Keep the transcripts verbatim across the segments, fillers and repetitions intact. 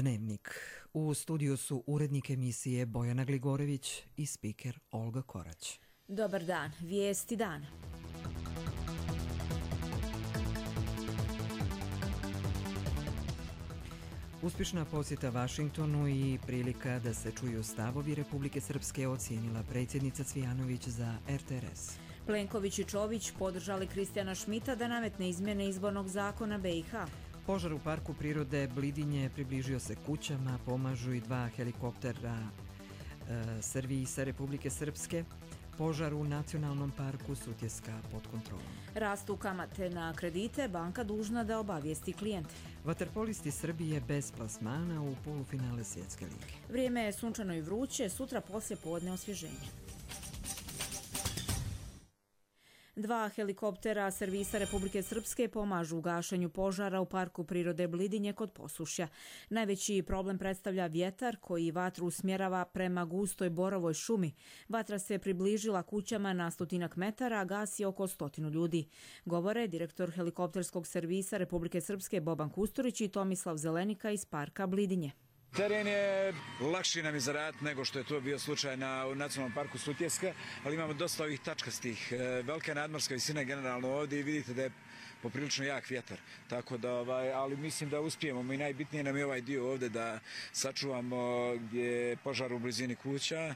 Dnevnik. U studiju su urednik emisije Bojana Gligorević i spiker Olga Korać. Dobar dan, vijesti dana. Uspješna posjeta Vašingtonu i prilika da se čuju stavovi Republike Srpske ocijenila predsjednica Cvijanović za R T R S. Plenković i Čović podržali Kristijana Šmita da nametne izmjene izbornog zakona B i H. Požar u parku prirode Blidinje približio se kućama, pomažu i dva helikoptera e, servisa Republike Srpske. Požar u Nacionalnom parku Sutjeska pod kontrolom. Rastu kamate na kredite, banka dužna da obavijesti klijente. Vaterpolisti Srbije bez plasmana u polufinale Svjetske lige. Vrijeme je sunčano i vruće, sutra poslije podne osvježenje. Dva helikoptera servisa Republike Srpske pomažu u gašenju požara u parku prirode Blidinje kod Posušja. Najveći problem predstavlja vjetar koji vatru usmjerava prema gustoj borovoj šumi. Vatra se približila kućama na stotinak metara, a gasi oko stotinu ljudi. Govore direktor helikopterskog servisa Republike Srpske Boban Kusturić i Tomislav Zelenika iz parka Blidinje. Teren je lakši nam izraditi nego što je to bio slučaj na u Nacionalnom parku Sutjeska, ali imamo dosta ovih tačkastih. Velika nadmorska visina generalno ovdje i vidite da je poprilično jak vjetar. Tako da, ovaj, ali mislim da uspijemo i najbitnije nam je ovaj dio ovdje da sačuvamo gdje je požar u blizini kuća,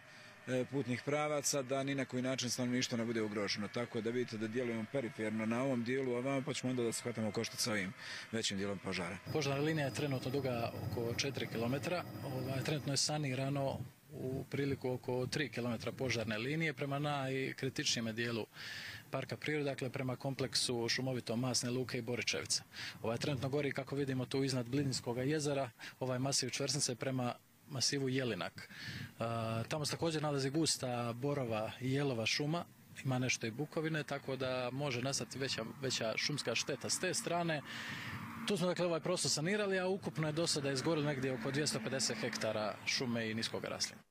putnih pravaca, da ni na koji način stanovništvo ne bude ugroženo. Tako da vidite da djelujemo periferno na ovom dijelu, a vama pa ćemo onda da se hvatamo koštac sa ovim većim dijelom požara. Požarna linija je trenutno duga oko četiri kilometra. Ovaj, trenutno je sanirano u priliku oko tri kilometra požarne linije prema najkritičnijem dijelu parka prirode, dakle prema kompleksu šumovito Masne Luke i Boričevica. Ovaj trenutno gori, kako vidimo tu iznad Blidinskog jezera, ovaj masiv čvrsnice prema masivu Jelinak. Uh, tamo se također nalazi gusta borova i jelova šuma, ima nešto i bukovine, tako da može nastati veća, veća šumska šteta s te strane. Tu smo dakle ovaj prostor sanirali, a ukupno je do sada izgorilo negdje oko dvjesto pedeset hektara šume i niskog raslinja.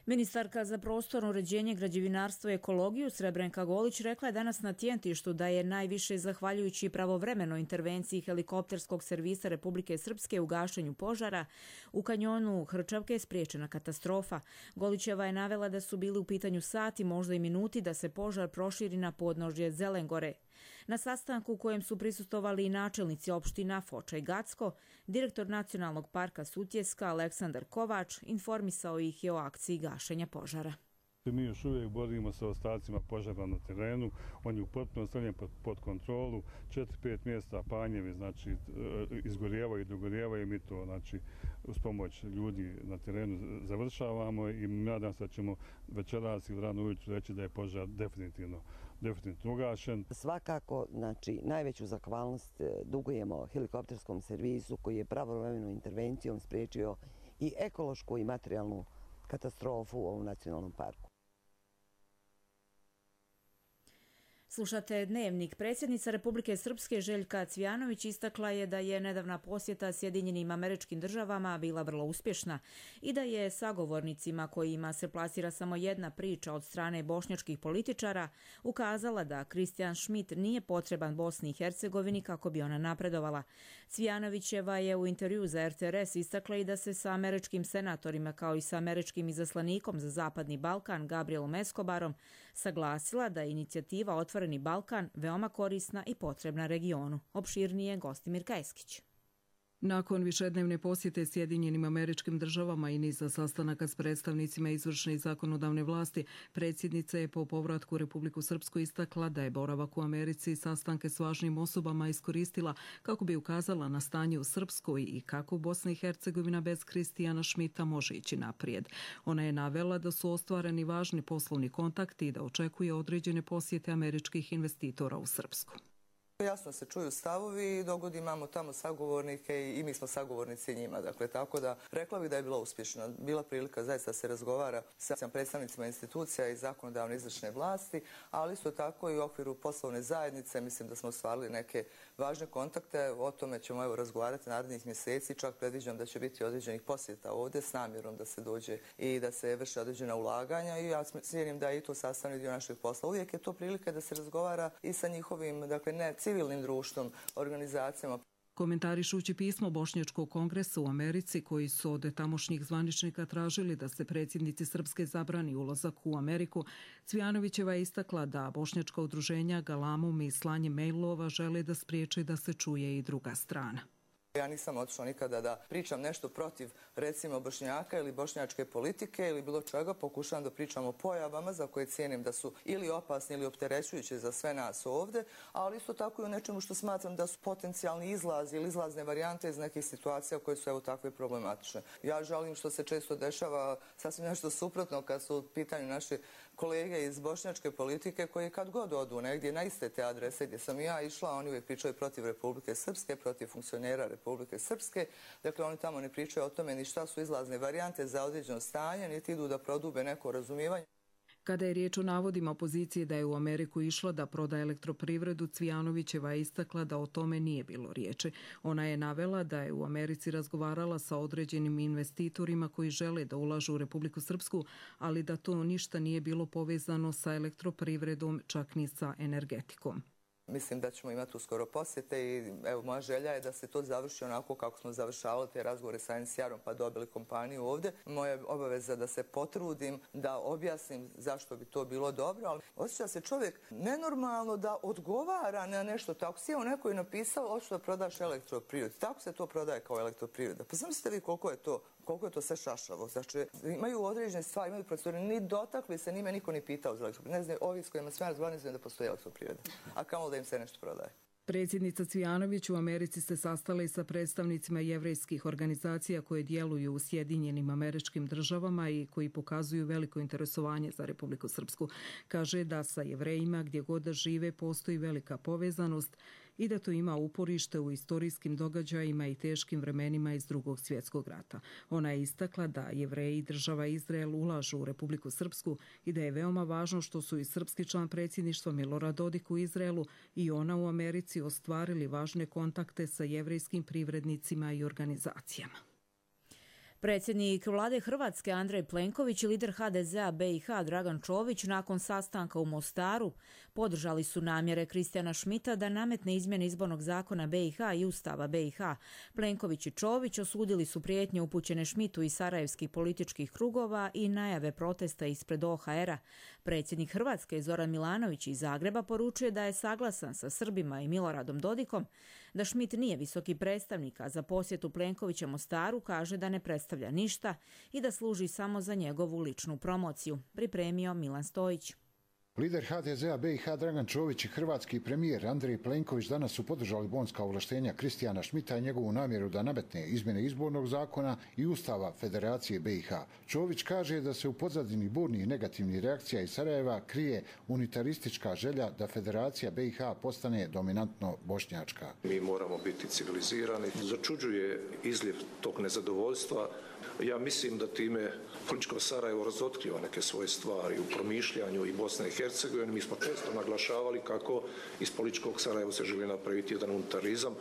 Ministarka za prostorno uređenje, građevinarstvo i ekologiju Srebrenka Golić rekla je danas na Tjentištu da je najviše zahvaljujući pravovremenoj intervenciji helikopterskog servisa Republike Srpske u gašenju požara u kanjonu Hrčavke spriječena katastrofa. Golićeva je navela da su bili u pitanju sati, možda i minuti da se požar proširi na podnožje Zelengore. Na sastanku u kojem su prisustvovali i načelnici opština Foča i Gacko, direktor Nacionalnog parka Sutjeska Aleksandar Kovač informisao ih je o akciji gašenja požara. Mi još uvijek borimo sa ostacima požara na terenu, on je u potpuno stavljen pod, pod kontrolu, četiri pet mjesta panjevi, znači izgorjevaju i dogorjevaju, mi to znači uz pomoć ljudi na terenu završavamo i nadam se da ćemo večeras ili rano ujutro reći da je požar definitivno, definitivno ugašen. Svakako, znači najveću zahvalnost dugujemo helikopterskom servisu koji je pravovremenom intervencijom spriječio i ekološku i materijalnu katastrofu u ovom nacionalnom parku. Slušate Dnevnik. Predsjednica Republike Srpske Željka Cvijanović istakla je da je nedavna posjeta Sjedinjenim Američkim Državama bila vrlo uspješna i da je sagovornicima kojima se plasira samo jedna priča od strane bošnjačkih političara ukazala da Kristijan Šmit nije potreban Bosni i Hercegovini kako bi ona napredovala. Cvijanovićeva je u intervju za R T R S istakla i da se sa američkim senatorima kao i sa američkim izaslanikom za Zapadni Balkan Gabrielom Escobarom saglasila da je inicijativa Otvoreni Balkan veoma korisna i potrebna regionu. Opširnije Gostimir Kajskić. Nakon višednevne posjete Sjedinjenim Američkim Državama i niza sastanaka s predstavnicima izvršne i zakonodavne vlasti, predsjednica je po povratku u Republiku Srpsku istakla da je boravak u Americi i sastanke s važnim osobama iskoristila kako bi ukazala na stanje u Srpskoj i kako Bosna i Hercegovina bez Kristijana Šmita može ići naprijed. Ona je navela da su ostvareni važni poslovni kontakti i da očekuje određene posjete američkih investitora u Srpsku. Jasno se čuju stavovi i dogod imamo tamo sagovornike i mi smo sagovornici njima. Dakle, tako da rekla bih da je bila uspješna. Bila prilika zaista se razgovara sa predstavnicima institucija i zakonodavne izvršne vlasti, ali isto tako i u okviru poslovne zajednice. Mislim da smo ostvarili neke važne kontakte. O tome ćemo evo razgovarati narednih mjeseci. Čak predviđam da će biti određenih posjeta ovdje s namjerom da se dođe i da se vrše određena ulaganja i ja cijenim da je i to sastavni dio našeg posla. Uvijek je to prilika da se razgovara i sa njihovim, dakle ne civilnim društvom, organizacijama. Komentarišući pismo Bošnjačkog kongresa u Americi koji su od tamošnjih zvaničnika tražili da se predsjednici Srpske zabrani ulazak u Ameriku, Cvijanovićeva je istakla da bošnjačka udruženja galamom i slanjem mailova žele da spriječe da se čuje i druga strana. Ja nisam otišla nikada da pričam nešto protiv, recimo, Bošnjaka ili bošnjačke politike ili bilo čega. Pokušavam da pričam o pojavama za koje cijenim da su ili opasni ili opterećujuće za sve nas ovdje, ali isto tako i o nečemu što smatram da su potencijalni izlazi ili izlazne varijante iz nekih situacija koje su evo takve problematične. Ja žalim što se često dešava sasvim nešto suprotno kad su u pitanju naši kolege iz bošnjačke politike koji kad god odu negdje na iste te adrese gdje sam i ja išla, oni uvijek pričaju protiv Republike Srpske, protiv funkcionera Republike Srpske. Dakle, oni tamo ne pričaju o tome ni šta su izlazne varijante za određeno stanje, niti idu da prodube neko razumijevanje. Kada je riječ o navodima opozicije da je u Ameriku išla da proda elektroprivredu, Cvijanovićeva je istakla da o tome nije bilo riječi. Ona je navela da je u Americi razgovarala sa određenim investitorima koji žele da ulažu u Republiku Srpsku, ali da to ništa nije bilo povezano sa elektroprivredom, čak ni sa energetikom. Mislim da ćemo imati uskoro posjete i evo, moja želja je da se to završi onako kako smo završavali te razgovore sa N C R-om pa dobili kompaniju ovdje. Moja je obaveza da se potrudim, da objasnim zašto bi to bilo dobro, ali osjeća se čovjek nenormalno da odgovara na nešto tako. Sjeo neko je napisao, hoću da prodaš elektroprivredu. Tako se to prodaje kao elektroprivreda. Pa zamislite vi koliko je to koliko je to sve šašavo. Znači, imaju određene stvari, imaju procedure, ni dotakli se, njime niko ni pitao za elektroprivredu. Ne znam, ovi s kojima sve razgovarali, ne znam da postoji elektroprivreda. A kamo da im se nešto prodaje. Predsjednica Cvijanović u Americi se sastala i sa predstavnicima jevrejskih organizacija koje djeluju u Sjedinjenim Američkim Državama i koji pokazuju veliko interesovanje za Republiku Srpsku. Kaže da sa Jevrejima gdje god da žive postoji velika povezanost i da to ima uporište u istorijskim događajima i teškim vremenima iz Drugog svjetskog rata. Ona je istakla da Jevreji i država Izrael ulažu u Republiku Srpsku i da je veoma važno što su i srpski član predsjedništva Milorad Dodik u Izraelu i ona u Americi ostvarili važne kontakte sa jevrejskim privrednicima i organizacijama. Predsjednik vlade Hrvatske Andrej Plenković i lider H D Z-a B i H Dragan Čović nakon sastanka u Mostaru podržali su namjere Kristijana Šmita da nametne izmjene izbornog zakona B i H i Ustava B i H. Plenković i Čović osudili su prijetnje upućene Šmitu iz sarajevskih političkih krugova i najave protesta ispred O H R-a. Predsjednik Hrvatske Zoran Milanović iz Zagreba poručuje da je saglasan sa Srbima i Miloradom Dodikom, da Šmit nije visoki predstavnik, a za posjetu Plenkovića Mostaru kaže da ne predstavlja ništa i da služi samo za njegovu ličnu promociju. Pripremio Milan Stojić. Lider H D Z-a B i H Dragan Čović i hrvatski premijer Andrej Plenković danas su podržali bonska ovlaštenja Kristijana Šmita i njegovu namjeru da nametne izmjene izbornog zakona i Ustava Federacije B i H. Čović kaže da se u pozadini burnih i negativnih reakcija iz Sarajeva krije unitaristička želja da Federacija B i H postane dominantno bošnjačka. Mi moramo biti civilizirani. Začuđuje izljev tog nezadovoljstva. Ja mislim da time političko Sarajevo razotkriva neke svoje stvari u promišljanju i Bosne i Hercegovine. Mi smo često naglašavali kako iz političkog Sarajeva se želi napraviti jedan unitarizam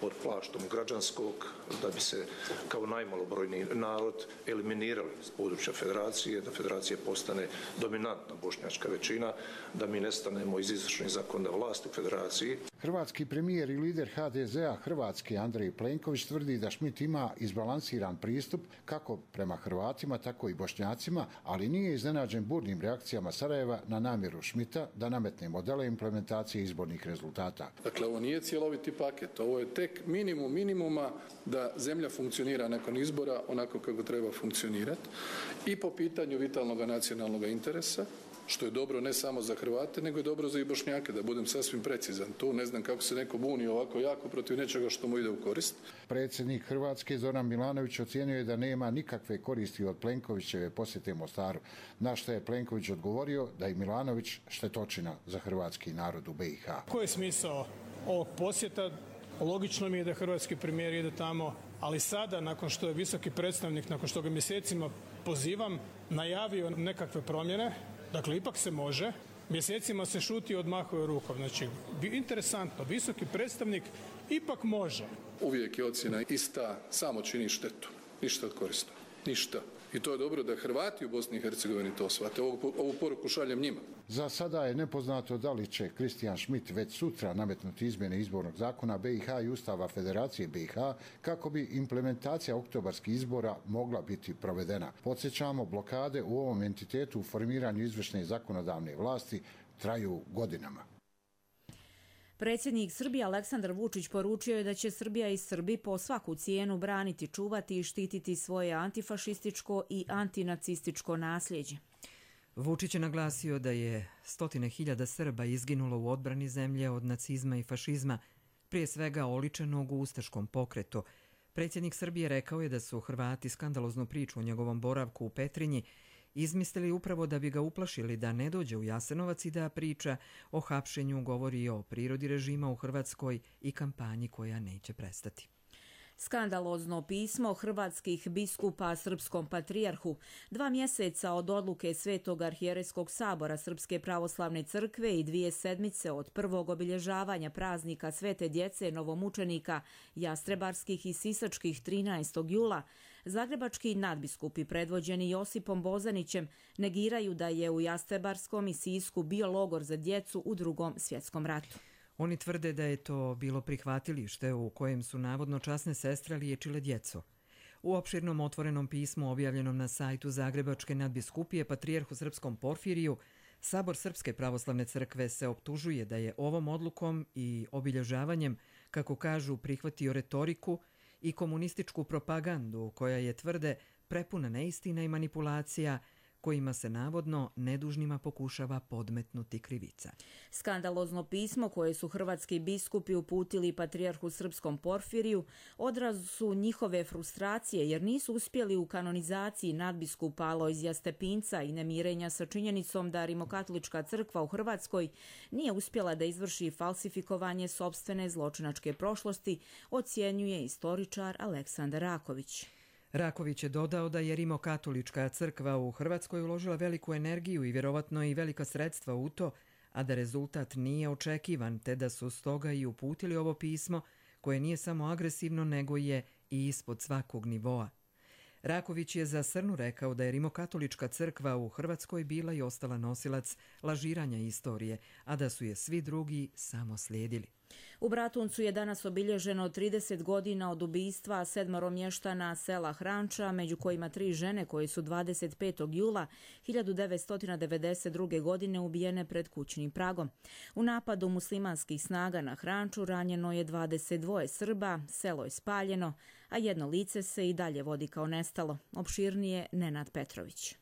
pod plaštom građanskog, da bi se kao najmalobrojniji narod eliminirali iz područja federacije, da federacija postane dominantna bošnjačka većina, da mi nestanemo iz izvršne zakonodavne vlasti u federaciji. Hrvatski premijer i lider H D Z-a Hrvatske Andrej Plenković tvrdi da Šmit ima izbalansiran pristup kako prema Hrvatima, tako i Bošnjacima, ali nije iznenađen burnim reakcijama Sarajeva na namjeru Šmita da nametne modele implementacije izbornih rezultata. Dakle, ovo nije cjeloviti paket, ovo je tek minimum minimuma da zemlja funkcionira nakon izbora onako kako treba funkcionirati i po pitanju vitalnog nacionalnog interesa, što je dobro ne samo za Hrvate, nego je dobro za i Bošnjake, da budem sasvim precizan. Tu ne znam kako se neko buni ovako jako protiv nečega što mu ide u korist. Predsjednik Hrvatske Zoran Milanović ocijenio je da nema nikakve koristi od Plenkovićeve posjete Mostaru, na što je Plenković odgovorio da je Milanović štetočina za hrvatski narod u B i H. Koji je smisao ovog posjeta? Logično mi je da hrvatski premijer ide tamo, ali sada, nakon što je visoki predstavnik, nakon što ga mjesecima pozivam, najavio nekakve promjene, dakle, ipak se može, mjesecima se šuti i odmahuje rukom. Znači, interesantno, visoki predstavnik ipak može. Uvijek je ocjena ista, samo čini štetu, ništa od korisno, ništa. I to je dobro da Hrvati u Bosni i Hercegovini to shvate. Ovu, ovu poruku šaljem njima. Za sada je nepoznato da li će Kristijan Schmidt već sutra nametnuti izmjene izbornog zakona B i H i Ustava Federacije B i H kako bi implementacija oktobarskih izbora mogla biti provedena. Podsjećamo, blokade u ovom entitetu u formiranju izvršne i zakonodavne vlasti traju godinama. Predsjednik Srbije Aleksandar Vučić poručio je da će Srbija i Srbi po svaku cijenu braniti, čuvati i štititi svoje antifašističko i antinacističko nasljeđe. Vučić je naglasio da je stotine hiljada Srba izginulo u odbrani zemlje od nacizma i fašizma, prije svega oličenog u ustaškom pokretu. Predsjednik Srbije rekao je da su Hrvati skandaloznu priču o njegovom boravku u Petrinji izmislili upravo da bi ga uplašili da ne dođe u Jasenovac i da priča o hapšenju govori o prirodi režima u Hrvatskoj i kampanji koja neće prestati. Skandalozno pismo hrvatskih biskupa srpskom patrijarhu. Dva mjeseca od odluke Svetog arhijerejskog sabora Srpske pravoslavne crkve i dvije sedmice od prvog obilježavanja praznika Svete djece novomučenika jastrebarskih i sisačkih trinaestog jula, zagrebački nadbiskupi predvođeni Josipom Bozanićem negiraju da je u Jastrebarskom i Sisku bio logor za djecu u Drugom svjetskom ratu. Oni tvrde da je to bilo prihvatilište u kojem su navodno časne sestre liječile djecu. U opširnom otvorenom pismu objavljenom na sajtu Zagrebačke nadbiskupije Patrijarhu srpskom Porfiriju, Sabor Srpske pravoslavne crkve se optužuje da je ovom odlukom i obilježavanjem, kako kažu, prihvatio retoriku i komunističku propagandu koja je, tvrde, prepuna neistina i manipulacija kojima se navodno nedužnima pokušava podmetnuti krivica. Skandalozno pismo koje su hrvatski biskupi uputili Patrijarhu srpskom Porfiriju odraz su njihove frustracije jer nisu uspjeli u kanonizaciji nadbiskupa Alojzija Stepinca i nemirenja sa činjenicom da Rimokatolička crkva u Hrvatskoj nije uspjela da izvrši falsifikovanje sopstvene zločinačke prošlosti, ocjenjuje istoričar Aleksandar Raković. Raković je dodao da je Rimokatolička crkva u Hrvatskoj uložila veliku energiju i vjerovatno i velika sredstva u to, a da rezultat nije očekivan, te da su stoga i uputili ovo pismo koje nije samo agresivno nego je i ispod svakog nivoa. Raković je za Srnu rekao da je Rimokatolička crkva u Hrvatskoj bila i ostala nosilac lažiranja istorije, a da su je svi drugi samo slijedili. U Bratuncu je danas obilježeno trideset godina od ubistva sedmoro mještana sela Hranča, među kojima tri žene koje su dvadeset petog jula hiljadu devetsto devedeset druge. godine ubijene pred kućnim pragom. U napadu muslimanskih snaga na Hranču ranjeno je dvadeset dva Srba, selo je spaljeno, a jedno lice se i dalje vodi kao nestalo. Opširnije Nenad Petrović.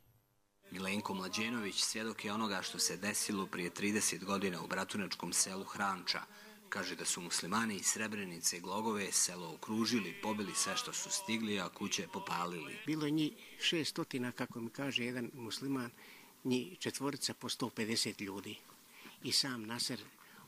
Milenko Mlađenović svjedok je onoga što se desilo prije trideset godina u bratunačkom selu Hranča. Kaže da su muslimani iz Srebrenice i Glogove selo okružili, pobili sve što su stigli, a kuće popalili. Bilo je njih šestotina, kako mi kaže jedan musliman, njih četvorica po sto pedeset ljudi. I sam Naser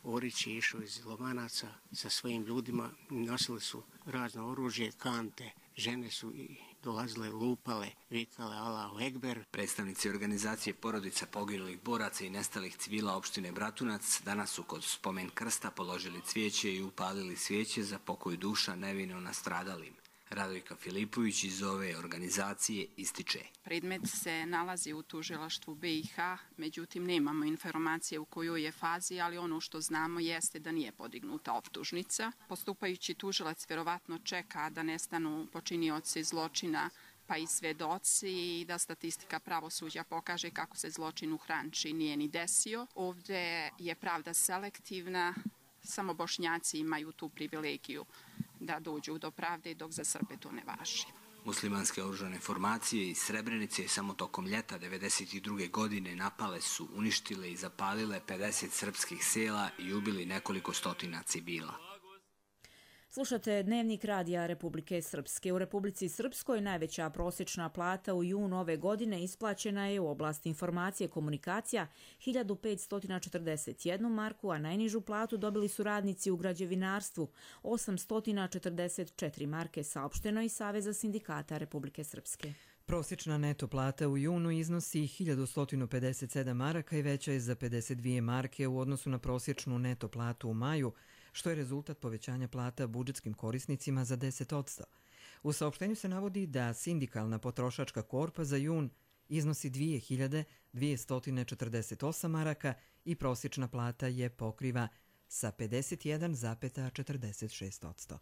Orić je išao iz Lovanaca sa svojim ljudima, nosili su razno oružje, kante, žene su i dolazile, lupale, vikale Allahu Ekber. Predstavnici organizacije porodica poginulih boraca i nestalih civila opštine Bratunac danas su kod spomen krsta položili cvijeće i upalili svijeće za pokoj duša nevino nastradalim. Radojka Filipović iz ove organizacije ističe. Predmet se nalazi u tužilaštvu B i H, međutim nemamo informacije u kojoj je fazi, ali ono što znamo jeste da nije podignuta optužnica. Postupajući tužilac vjerovatno čeka da nestanu počinioci zločina pa i svedoci i da statistika pravosuđa pokaže kako se zločin u Hranči nije ni desio. Ovdje je pravda selektivna, samo Bošnjaci imaju tu privilegiju da dođu do pravde, dok za Srbe to ne važi. Muslimanske oružane formacije iz Srebrenice samo tokom ljeta devedeset druge. godine napale su, uništile i zapalile pedeset srpskih sela i ubili nekoliko stotina civila. Slušate Dnevnik radija Republike Srpske. U Republici Srpskoj najveća prosječna plata u junu ove godine isplaćena je u oblasti informacije komunikacija hiljadu petsto četrdeset jednu marku, a najnižu platu dobili su radnici u građevinarstvu osamsto četrdeset četiri marke, saopšteno iz Saveza sindikata Republike Srpske. Prosječna neto plata u junu iznosi hiljadu sto pedeset sedam maraka i veća je za pedeset dvije marke u odnosu na prosječnu neto platu u maju, što je rezultat povećanja plata budžetskim korisnicima za deset posto. U saopštenju se navodi da sindikalna potrošačka korpa za jun iznosi dve hiljade dvesta četrdeset osam maraka i prosječna plata je pokriva sa pedeset jedan zarez četrdeset šest posto.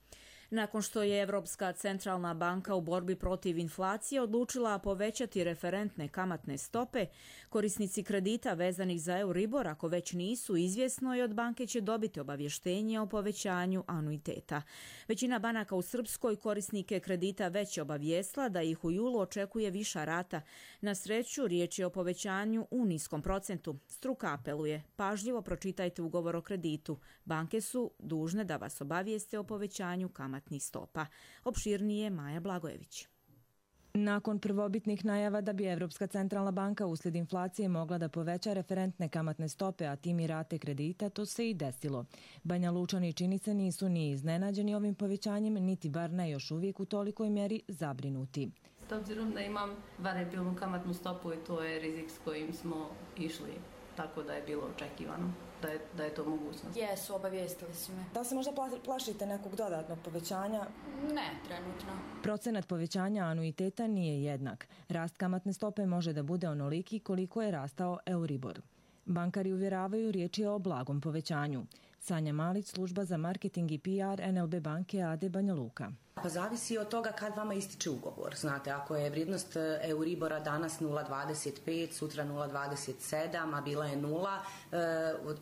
Nakon što je Evropska centralna banka u borbi protiv inflacije odlučila povećati referentne kamatne stope, korisnici kredita vezanih za Euribor, ako već nisu, izvjesno je od banke će dobiti obavještenje o povećanju anuiteta. Većina banaka u Srpskoj korisnike kredita već je obavijestila da ih u julu očekuje viša rata. Na sreću, riječ je o povećanju u niskom procentu. Struka apeluje, pažljivo pročitajte ugovor o kreditu. Banke su dužne da vas obavijeste o povećanju kamatnih stopa. Opširnije Maja Blagojević. Nakon prvobitnih najava da bi Evropska centralna banka uslijed inflacije mogla da poveća referentne kamatne stope, a tim i rate kredita, to se i desilo. Banja Lučani čini se nisu ni iznenađeni ovim povećanjem, niti bar ne još uvijek u tolikoj mjeri zabrinuti. S obzirom da imam variabilnu kamatnu stopu i to je rizik s kojim smo išli, tako da je bilo očekivano da je, da je to mogućnost. Jesu, obavijestili su me. Da li se možda plašite nekog dodatnog povećanja? Ne, trenutno. Procenat povećanja anuiteta nije jednak. Rast kamatne stope može da bude onoliki koliko je rastao Euribor. Bankari uvjeravaju riječ je o blagom povećanju. Sanja Malić, služba za marketing i P R N L B banke A D Banja Luka. Pa zavisi od toga kad vama ističe ugovor. Znate, ako je vrijednost Euribora danas nula zarez dvadeset pet, sutra nula zarez dvadeset sedam, a bila je nula,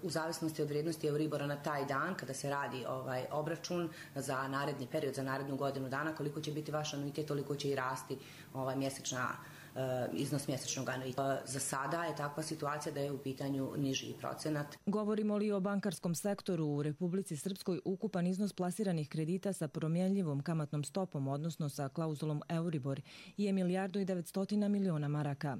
u zavisnosti od vrijednosti Euribora na taj dan, kada se radi ovaj obračun za naredni period, za narednu godinu dana, koliko će biti vaš anuitet, toliko će i rasti ovaj mjesečna iznos mjesečnog anuiteta. Za sada je takva situacija da je u pitanju niži procenat. Govorimo li o bankarskom sektoru u Republici Srpskoj, ukupan iznos plasiranih kredita sa promjenljivom kamatnom stopom, odnosno sa klauzulom Euribor, je milijardu i devetstotina miliona maraka.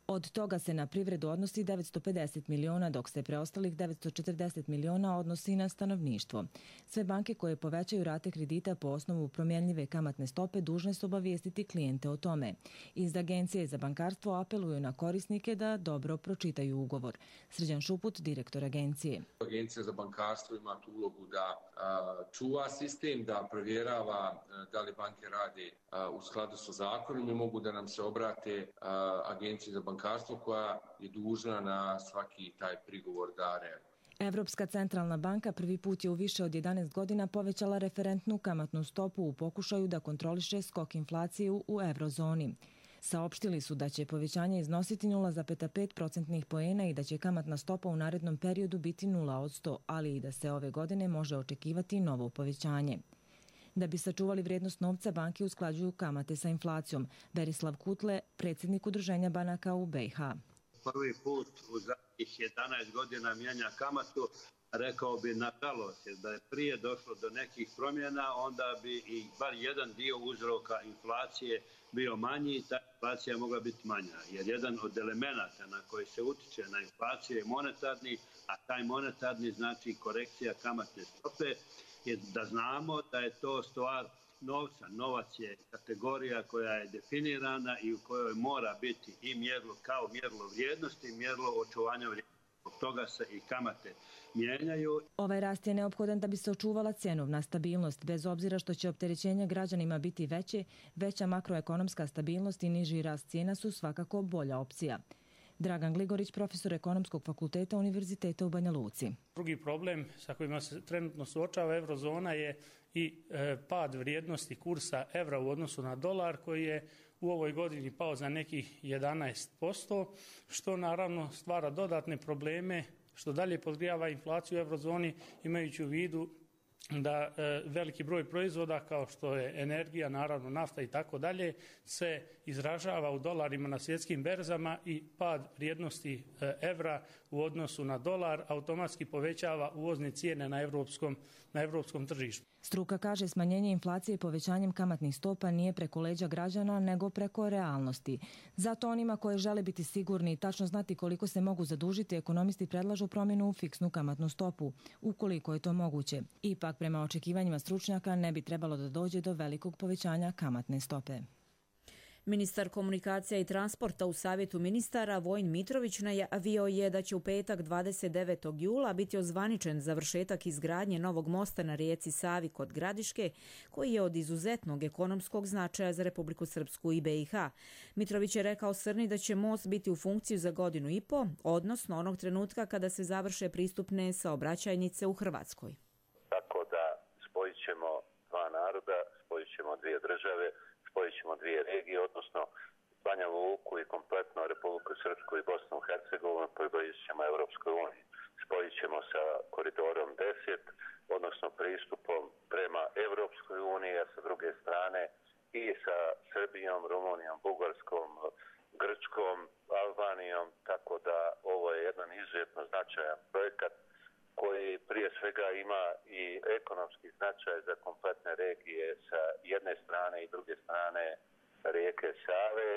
Od toga se na privredu odnosi devetsto pedeset miliona, dok se preostalih devetsto četrdeset miliona odnosi na stanovništvo. Sve banke koje povećaju rate kredita po osnovu promjenljive kamatne stope dužne su obavijestiti klijente o tome. Iz Agencije za bankarstvo apeluju na korisnike da dobro pročitaju ugovor. Srđan Šuput, direktor agencije. Agencija za bankarstvo ima tu ulogu da a, čuva sistem, da provjerava a, da li banke rade a, u skladu sa zakonom i mogu da nam se obrate a, Agenciji za bankarstvo koja je dužna na svaki taj prigovor da reaguje. Evropska centralna banka prvi put je u više od jedanaest godina povećala referentnu kamatnu stopu u pokušaju da kontroliše skok inflacije u eurozoni. Saopštili su da će povećanje iznositi nula zarez pet procentnih poena i da će kamatna stopa u narednom periodu biti nula od sto, ali i da se ove godine može očekivati novo povećanje. Da bi sačuvali vrijednost novca, banke usklađuju kamate sa inflacijom. Berislav Kutle, predsjednik Udruženja banaka u B i H. Prvi put u zadnjih jedanaest godina mijenja kamatu, rekao bi nažalost, da je prije došlo do nekih promjena, onda bi i bar jedan dio uzroka inflacije bio manji i ta inflacija mogla biti manja. Jer jedan od elemenata na koji se utiče na inflaciju je monetarni, a taj monetarni znači korekcija kamatne stope, je da znamo da je to stvar novca. Novac je kategorija koja je definirana i u kojoj mora biti i mjerilo kao mjerilo vrijednosti i mjerilo očuvanja vrijednosti. Od toga se i kamate mijenjaju. Ovaj rast je neophodan da bi se očuvala cjenovna stabilnost. Bez obzira što će opterećenja građanima biti veće, veća makroekonomska stabilnost i niži rast cijena su svakako bolja opcija. Dragan Gligorić, profesor Ekonomskog fakulteta Univerziteta u Banja Luci. Drugi problem sa kojima se trenutno suočava eurozona je i e, pad vrijednosti kursa evra u odnosu na dolar, koji je u ovoj godini pao za nekih jedanaest posto, što naravno stvara dodatne probleme, što dalje podgrijava inflaciju u eurozoni, imajući u vidu da e, veliki broj proizvoda kao što je energija, naravno nafta i tako dalje, se izražava u dolarima na svjetskim berzama i pad vrijednosti e, evra u odnosu na dolar automatski povećava uvozne cijene na evropskom, na evropskom tržištu. Struka kaže smanjenje inflacije povećanjem kamatnih stopa nije preko leđa građana nego preko realnosti. Zato onima koje žele biti sigurni i tačno znati koliko se mogu zadužiti, ekonomisti predlažu promjenu u fiksnu kamatnu stopu, ukoliko je to moguće. Ipak, prema očekivanjima stručnjaka, ne bi trebalo da dođe do velikog povećanja kamatne stope. Ministar komunikacija i transporta u Savjetu ministara Vojin Mitrović najavio je da će u petak dvadeset devetog jula biti ozvaničen završetak izgradnje novog mosta na rijeci Savi kod Gradiške, koji je od izuzetnog ekonomskog značaja za Republiku Srpsku i B i H. Mitrović je rekao Srni da će most biti u funkciju za godinu i po, odnosno onog trenutka kada se završe pristupne saobraćajnice u Hrvatskoj. Tako da spojit ćemo dva naroda, spojit ćemo dvije države, spojit ćemo dvije regije, odnosno Banja Luku i kompletno Republiku Srpsku i Bosnu i Hercegovinu, približit ćemo Europskoj uniji. Spojit ćemo sa koridorom deset, odnosno pristupom prema Europskoj uniji, a sa druge strane i sa Srbijom, Rumunijom, Bugarskom, Grčkom, Albanijom, tako da ovo je jedan izuzetno značajan projekat koji prije svega ima i ekonomski značaj za kompletne regije sa jedne strane i druge strane rijeke Save.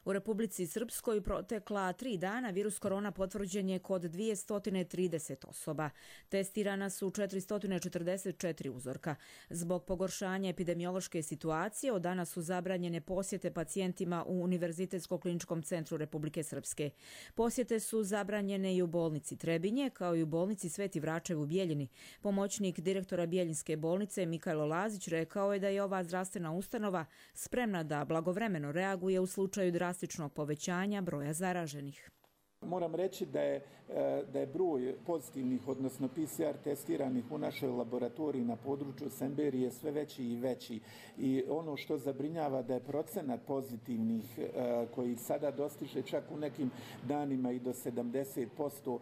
U Republici Srpskoj protekla tri dana virus korona potvrđen je kod dvjesto trideset osoba. Testirana su četiristo četrdeset četiri uzorka. Zbog pogoršanja epidemiološke situacije od danas su zabranjene posjete pacijentima u Univerzitetsko-kliničkom centru Republike Srpske. Posjete su zabranjene i u bolnici Trebinje, kao i u bolnici Sveti Vračev u Bijeljini. Pomoćnik direktora Bijeljinske bolnice Mikajlo Lazić rekao je da je ova zdravstvena ustanova spremna da blagovremeno reaguje u slučaju drastičnog povećanja broja zaraženih. Moram reći da je, da je broj pozitivnih, odnosno P C R testiranih u našoj laboratoriji na području Semberije sve veći i veći. I ono što zabrinjava da je procenat pozitivnih koji sada dostiže čak u nekim danima i do sedamdeset posto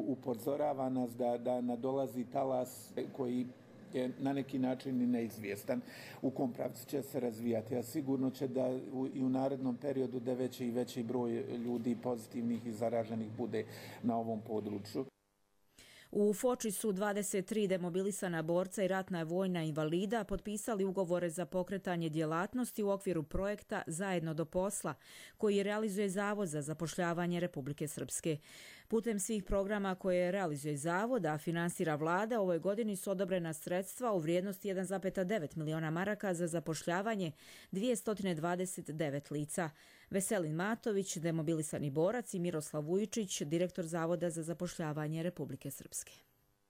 upozorava nas da, da nadolazi talas koji je na neki način i neizvjestan u kom pravcu će se razvijati, a sigurno će da u, i u narednom periodu da veći i veći broj ljudi pozitivnih i zaraženih bude na ovom području. U Foči su dvadeset tri demobilisana borca i ratna vojna invalida potpisali ugovore za pokretanje djelatnosti u okviru projekta Zajedno do posla, koji realizuje Zavod za zapošljavanje Republike Srpske. Putem svih programa koje realizuje Zavod, a finansira vlada, ovoj godini su odobrena sredstva u vrijednosti jedan zarez devet miliona maraka za zapošljavanje dvjesto dvadeset devet lica. Veselin Matović, demobilisani borac, i Miroslav Vujičić, direktor Zavoda za zapošljavanje Republike Srpske.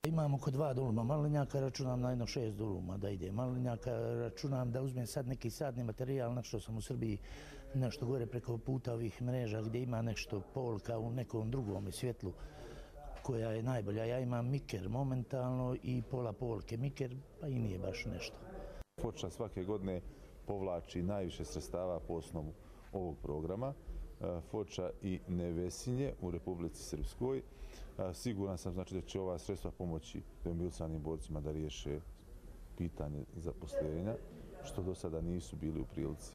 Imam oko dva duluma malinjaka, računam na jedno šest duluma da ide malinjaka, računam da uzmem sad neki sadni materijal, na što sam u Srbiji nešto gore preko puta ovih mreža gdje ima nešto polka u nekom drugom svjetlu koja je najbolja. Ja imam miker momentalno i pola polke miker, pa i nije baš nešto. Foča svake godine povlači najviše sredstava po osnovu ovog programa. Foča i Nevesinje u Republici Srpskoj. Siguran sam znači da će ova sredstva pomoći demobilisanim borcima da riješe pitanje zaposlenja, što do sada nisu bili u prilici.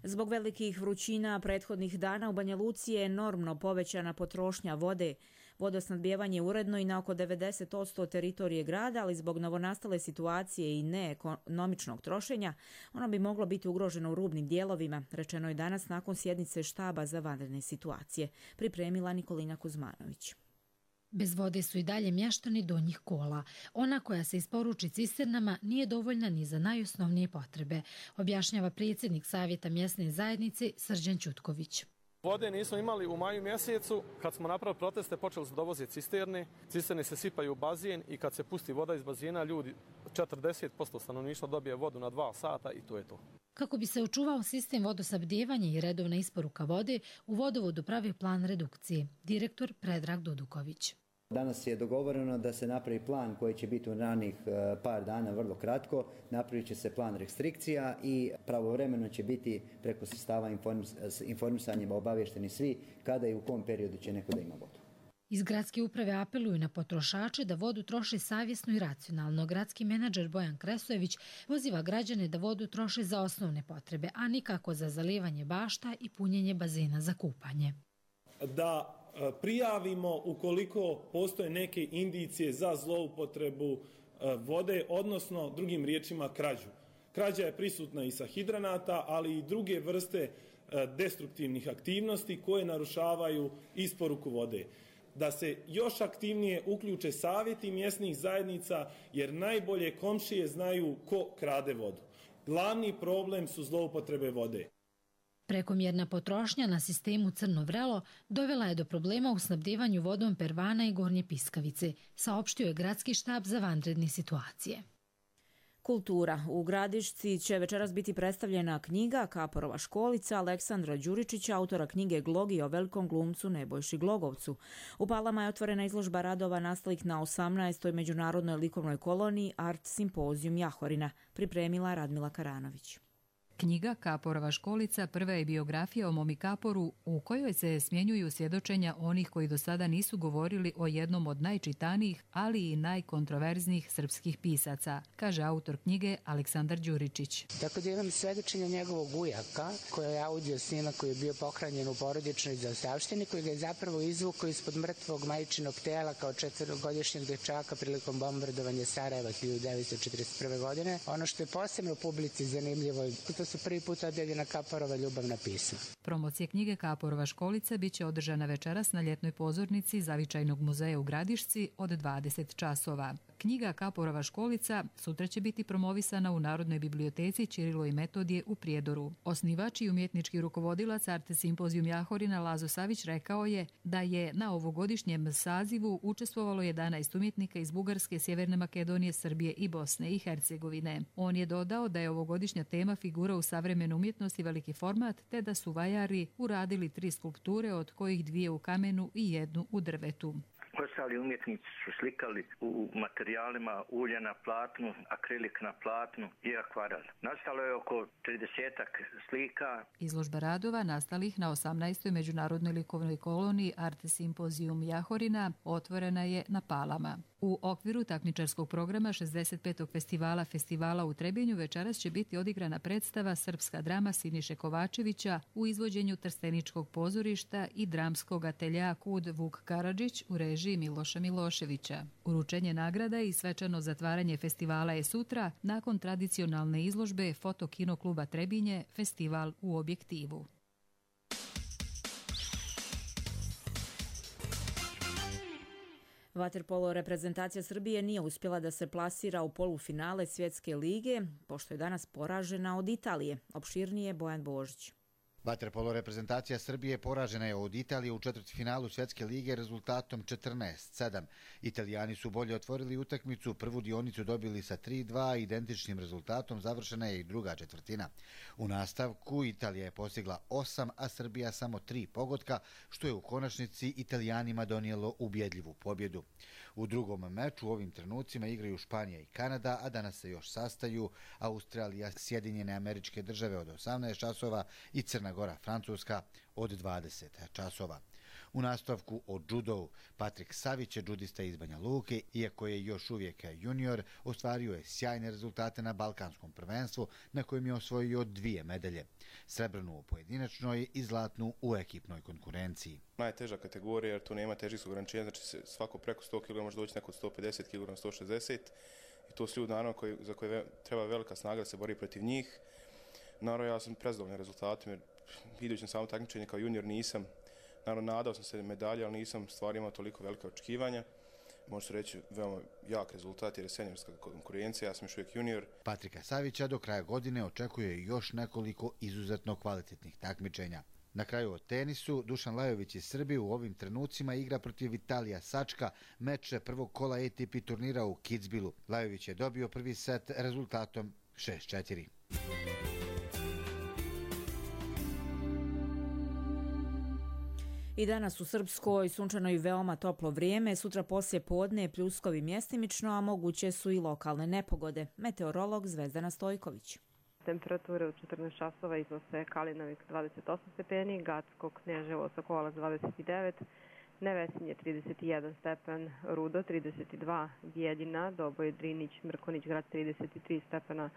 Zbog velikih vrućina prethodnih dana u Banja Luci je enormno povećana potrošnja vode. Vodosnadbijevanje je uredno i na oko devedeset posto teritorije grada, ali zbog novonastale situacije i neekonomičnog trošenja, ono bi moglo biti ugroženo u rubnim dijelovima, rečeno je danas nakon sjednice štaba za vanredne situacije, pripremila Nikolina Kuzmanović. Bez vode su i dalje mještani Donjih Kola. Ona koja se isporuči cisternama nije dovoljna ni za najosnovnije potrebe, objašnjava predsjednik Savjeta mjesne zajednice Srđan Ćutković. Vode nismo imali u maju mjesecu, kad smo napravili proteste počeli su dovoziti cisterne, cisterne se sipaju u bazen i kad se pusti voda iz bazena ljudi četrdeset posto stanovništva dobije vodu na dva sata i to je to. Kako bi se očuvao sistem vodosnabdijevanja i redovna isporuka vode, u vodovodu pravi plan redukcije, direktor Predrag Duduković. Danas je dogovoreno da se napravi plan koji će biti u ranih par dana, vrlo kratko. Napravit će se plan restrikcija i pravovremeno će biti preko sredstava informisanjem obavješteni svi kada i u kom periodu će neko da ima vodu. Iz gradske uprave apeluju na potrošače da vodu troše savjesno i racionalno. Gradski menadžer Bojan Kresojević poziva građane da vodu troše za osnovne potrebe, a nikako za zalijevanje bašta i punjenje bazena za kupanje. Da prijavimo ukoliko postoje neke indicije za zloupotrebu vode, odnosno drugim riječima krađu. Krađa je prisutna i sa hidranata, ali i druge vrste destruktivnih aktivnosti koje narušavaju isporuku vode. Da se još aktivnije uključe savjeti mjesnih zajednica, jer najbolje komšije znaju ko krade vodu. Glavni problem su zloupotrebe vode. Prekomjerna potrošnja na sistemu Crno vrelo dovela je do problema u snabdevanju vodom Pervana i Gornje Piskavice, saopštio je gradski štab za vanredne situacije. Kultura. U Gradišci će večeras biti predstavljena knjiga Kaporova školica Aleksandra Đuričića, autora knjige Glogi o velikom glumcu Nebojši Glogovcu. U Palama je otvorena izložba radova nastalih na osamnaestoj međunarodnoj likovnoj koloniji Art Simpozijum Jahorina, pripremila Radmila Karanović. Knjiga Kaporova školica prva je biografija o Momi Kaporu u kojoj se smjenjuju svjedočenja onih koji do sada nisu govorili o jednom od najčitanijih, ali i najkontroverznijih srpskih pisaca, kaže autor knjige Aleksandar Đuričić. Tako da imam svjedočenja njegovog ujaka, koji je audio snimak koji je bio pohranjen u porodičnoj zaostavštini, koji ga je zapravo izvukao ispod mrtvog majčinog tela kao četvrogodišnjeg dečaka prilikom bombardovanja Sarajeva hiljadu devetsto četrdeset prve. godine. Ono što je posebno publici zanimljivo, to su prvi put objavljena Kaporova ljubavna pisma. Promocija knjige Kaporova školica biće održana večeras na ljetnoj pozornici Zavičajnog muzeja u Gradišci od dvadeset časova. Knjiga Kaporova školica sutra će biti promovisana u Narodnoj biblioteci Ćirilo i Metodije u Prijedoru. Osnivač i umjetnički rukovodilac Art Simpozijum Jahorina Lazo Savić rekao je da je na ovogodišnjem sazivu učestvovalo jedanaest umjetnika iz Bugarske, Sjeverne Makedonije, Srbije i Bosne i Hercegovine. On je dodao da je ovogodišnja tema figura u savremenu umjetnosti veliki format, te da su vajari uradili tri skulpture, od kojih dvije u kamenu i jednu u drvetu. Ostali umjetnici su slikali u materijalima ulje na platnu, akrilik na platnu i akvarel. Nastalo je oko tridesetak slika. Izložba radova nastalih na osamnaestoj međunarodnoj likovnoj koloniji Art Simpozijum Jahorina otvorena je na Palama. U okviru takmičarskog programa šezdeset petog festivala Festivala u Trebinju večeras će biti odigrana predstava Srpska drama Siniše Kovačevića u izvođenju Trsteničkog pozorišta i dramskog atelja Kud Vuk Karadžić u režiji Miloša Miloševića. Uručenje nagrada i svečano zatvaranje festivala je sutra nakon tradicionalne izložbe Foto-kino kluba Trebinje Festival u objektivu. Vaterpolo reprezentacija Srbije nije uspjela da se plasira u polufinale Svjetske lige, pošto je danas poražena od Italije. Opširnije Bojan Božić. Vaterpolo reprezentacija Srbije poražena je od Italije u četvrtfinalu Svjetske lige rezultatom četrnaest sedam. Italijani su bolje otvorili utakmicu, prvu dionicu dobili sa tri dva, identičnim rezultatom završena je i druga četvrtina. U nastavku Italija je postigla osam, a Srbija samo tri pogotka, što je u konačnici Italijanima donijelo ubjedljivu pobjedu. U drugom meču u ovim trenucima igraju Španija i Kanada, a danas se još sastaju Australija, Sjedinjene Američke Države od osamnaest časova i Crna Gora, Francuska od dvadeset časova. U nastavku o džudovu Patrik Savić je džudista iz Banja Luke, iako je još uvijek junior, ostvario je sjajne rezultate na Balkanskom prvenstvu na kojem je osvojio dvije medalje. Srebrnu u pojedinačnoj i zlatnu u ekipnoj konkurenciji. Najteža kategorija jer tu nema težih ograničenja, znači svako preko sto kilograma može doći neko sto pedeset kilograma, sto šezdeset i to su ljudi naravno koji, za koje treba velika snaga da se bori protiv njih. Naravno ja sam prezadovoljan rezultatom jer idući na samo takmičenje kao junior nisam, naravno nadao sam se medalje, ali nisam stvari imao toliko velike očekivanja. Može se reći veoma jak rezultat jer je seniorska konkurencija, ja sam još uvijek junior. Patrika Savića do kraja godine očekuje još nekoliko izuzetno kvalitetnih takmičenja. Na kraju o tenisu, Dušan Lajović iz Srbije u ovim trenucima igra protiv Vitalija Sačka, meč prvog kola A T P turnira u Kitzbühelu. Lajović je dobio prvi set rezultatom šest četiri. I danas u Srpskoj sunčano i veoma toplo vrijeme, sutra poslije podne pljuskovi mjestimično, a moguće su i lokalne nepogode. Meteorolog Zvezdana Stojković. Temperature u četrnaest časova iznose Kalinovik dvadeset osam stepeni, Gacko, Knježevo, Sokolac dvadeset devet, Nevesinje trideset jedan stepen, Rudo trideset dva, Bijeljina, Doboj, Drinić, Mrkonić, Grad trideset tri stepena,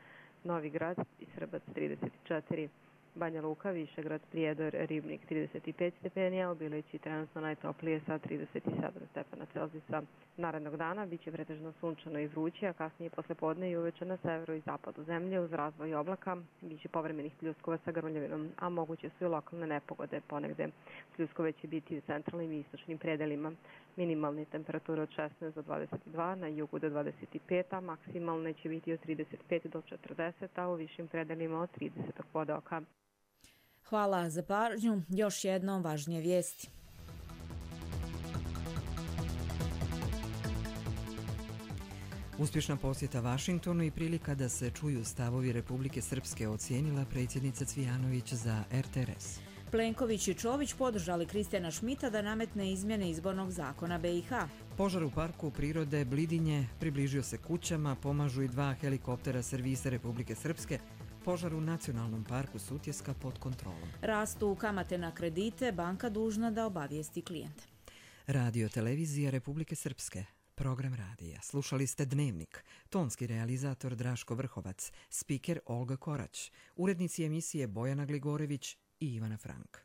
Novi Grad i Srbac trideset četiri. Banja Luka, Višegrad, Prijedor, Ribnik trideset pet stepeni, a u Bilići trenutno najtoplije sa trideset sedam stepena Celzijusa. Narednog dana biće pretežno sunčano i vruće, a kasnije posle podne i uveče na severu i zapadu zemlje uz razvoj oblaka biće povremenih pljuskova sa grmljavinom, a moguće su i lokalne nepogode ponegde. Pljuskove će biti u centralnim i istočnim predelima. minimalne temperature od šesnaest do dvadeset dva, na jugu do dvadeset pet, a maksimalne će biti od trideset pet do četrdeset, a u višim predelima od trideset pod oka. Hvala za pažnju. Još jednom važnije vijesti. Uspješna posjeta Vašingtonu i prilika da se čuju stavovi Republike Srpske ocijenila predsjednica Cvijanović za R T R S. Plenković i Čović podržali Kristijana Šmita da nametne izmjene izbornog zakona B i H. Požar u parku prirode Blidinje približio se kućama, pomažu i dva helikoptera servisa Republike Srpske. Požar u Nacionalnom parku Sutjeska pod kontrolom. Rastu kamate na kredite, banka dužna da obavijesti klijente. Radio televizija Republike Srpske. Program radija. Slušali ste Dnevnik. Tonski realizator Draško Vrhovac. Spiker Olga Korać. Urednici emisije Bojana Gligorević i Ivana Frank.